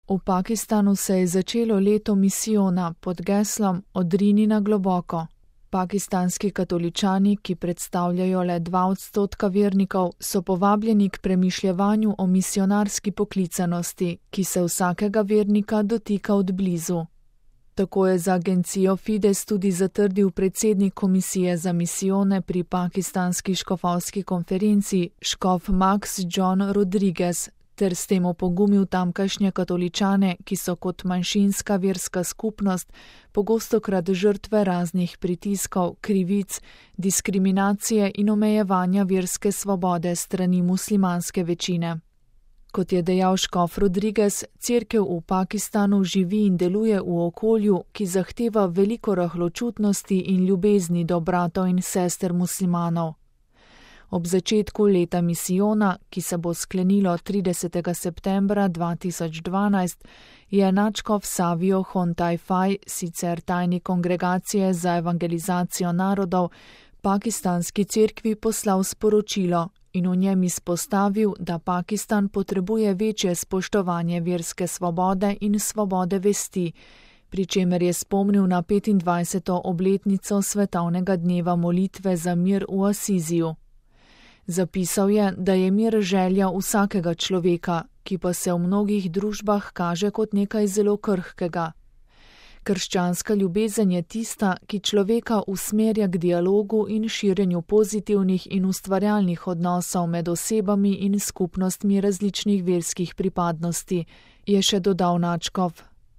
V Pakistanu se je začelo leto misijona pod geslom Odrini na globoko. Pakistanski katoličani, ki predstavljajo le 2% vernikov, so povabljeni k premišljevanju o misionarski poklicanosti, ki se vsakega vernika dotika od blizu. Tako je za agencijo Fides tudi zatrdil predsednik komisije za misijone pri pakistanski škofovski konferenci, škof Max John Rodriguez, ter s tem opogumil tamkajšnje katoličane, ki so kot manjšinska verska skupnost pogostokrat žrtve raznih pritiskov, krivic, diskriminacije in omejevanja verske svobode strani muslimanske večine. Kot je dejal škof Rodriguez, cerkev v Pakistanu živi in deluje v okolju, ki zahteva veliko rahločutnosti in ljubezni do bratov in sester muslimanov. Ob začetku leta misijona, ki se bo sklenilo 30. septembra 2012, je nadškof Savio Hontai-Fai, sicer tajnik kongregacije za evangelizacijo narodov, pakistanski cerkvi poslal sporočilo in v njem izpostavil, da Pakistan potrebuje večje spoštovanje verske svobode in svobode vesti, pri čemer je spomnil na 25. obletnico svetovnega dneva molitve za mir v Asiziju. Zapisal je, da je mir želja vsakega človeka, ki pa se v mnogih družbah kaže kot nekaj zelo krhkega. Krščanska ljubezen je tista, ki človeka usmerja k dialogu in širjenju pozitivnih in ustvarjalnih odnosov med osebami in skupnostmi različnih verskih pripadnosti, je še dodal nadškof.